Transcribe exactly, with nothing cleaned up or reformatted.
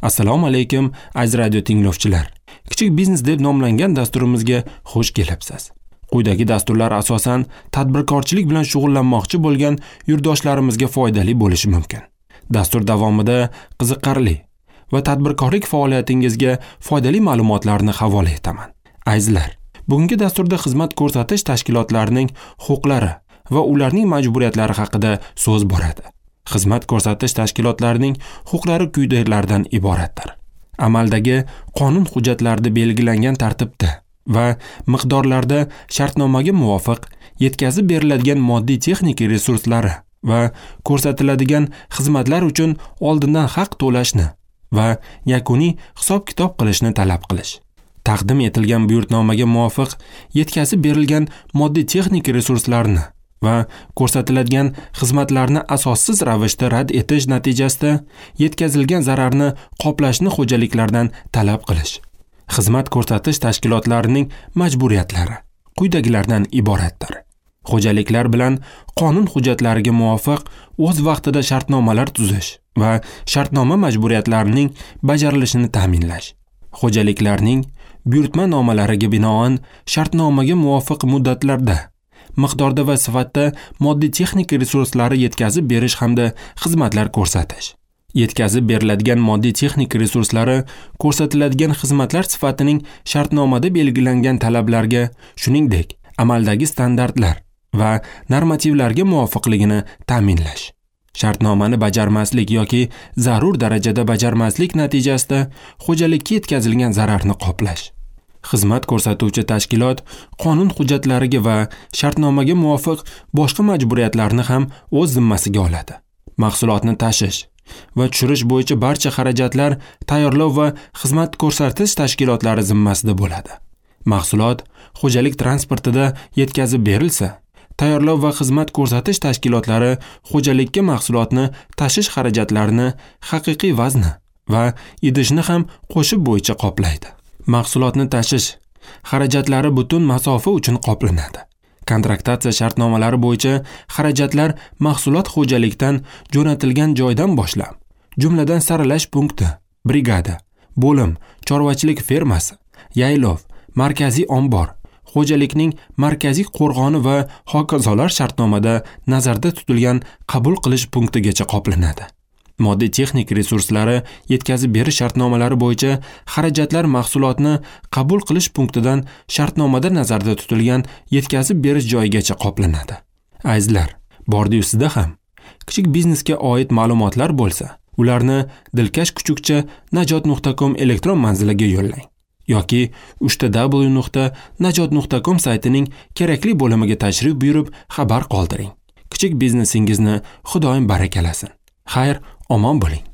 Assalomu alaykum aziz radio tinglovchilar. Kichik biznes deb nomlangan dasturimizga xush kelibsiz. Quyidagi dasturlar asosan tadbirkorchilik bilan shug'ullanmoqchi bo'lgan yurtdoshlarimizga foydali bo'lishi mumkin. Dastur davomida qiziqarli va tadbirkorlik faoliyatingizga foydali ma'lumotlarni havola etaman. Azizlar, bugungi dasturda xizmat ko'rsatish tashkilotlarining huquqlari va ularning majburiyatlari haqida so'z boradi. Xizmat ko'rsatish tashkilotlarining huquqlari quyidagilardan iboratdir. Amaldagi qonun hujjatlarida belgilangan tartibda va miqdorlarda shartnomaga muvofiq yetkazib beriladigan moddiy texnik resurslari va ko'rsatiladigan xizmatlar uchun oldindan haq to'lashni va yakuniy hisob-kitob qilishni talab qilish. Taqdim etilgan buyurtnomaga muvofiq yetkazib berilgan moddiy texnik resurslarni va ko'rsatiladigan xizmatlarni asossiz ravishda rad etish natijasida yetkazilgan zararni qoplashni xo'jaliklardan talab qilish. Xizmat ko'rsatish tashkilotlarining majburiyatlari quyidagilardan iboratdir. Xo'jaliklar bilan qonun hujjatlariga muvofiq o'z vaqtida shartnomalar tuzish va shartnoma majburiyatlarining bajarilishini ta'minlash. Xo'jaliklarning buyurtma nomalariga binoan shartnomaga muvofiq muddatlarda, miqdorda va sifatda moddiy texnik resurslari yetkazib berish hamda xizmatlar ko'rsatish. Yetkazib beriladigan moddiy texnik resurslari ko'rsatiladigan xizmatlar sifatining shartnomada belgilangan talablarga, shuningdek, amaldagi standartlar va normativlarga muvofiqligini ta'minlash. Shartnomani bajarmaslik yoki zarur darajada bajarmaslik natijasida xo'jalikka yetkazilgan zararni qoplash. Xizmat ko'rsatuvchi tashkilot qonun hujjatlariga va shartnomaga muvofiq boshqa majburiyatlarni ham o'z zimmasiga oladi. Mahsulotni tashish va tushirish bo'yicha barcha xarajatlar tayyorlov va xizmat ko'rsatish tashkilotlari zimmasida bo'ladi. Mahsulot xo'jalik transportida yetkazib berilsa, tayyorlov va xizmat ko'rsatish tashkilotlari xo'jalikka mahsulotni tashish xarajatlarini haqiqiy vazni va idishni ham qo'shib bo'yicha qoplaydi. Mahsulotni tashish xarajatlari butun masofa uchun qoplanadi. Kontraktatsiya shartnomalari bo'yicha xarajatlar mahsulot xo'jalikdan jo'natilgan joydan boshlab, jumladan saralash punkti, brigada, bo'lim, chorvachilik fermasi, yaylov, markaziy ombor, xo'jalikning markaziy qo'rg'oni va hokazolar shartnomada nazarda tutilgan qabul qilish punktigacha qoplanadi. Moddiy texnik resurslari yetkazib berish shartnomalari bo'yicha xarajatlar mahsulotni qabul qilish punktidan shartnomada nazarda tutilgan yetkazib berish joyigacha qoplanadi. Azizlar, bordi-yu sizda ham kichik biznesga oid ma'lumotlar bo'lsa, ularni dilkash kuchukcha najot nuqta com elektron manziliga yo'llang yoki uchta w nuqta najot nuqta com saytining kerakli bo'limiga tashrif buyurib xabar qoldiring. Kichik biznesingizni Xudoyim barakalasin. Xayr, omon bo'ling.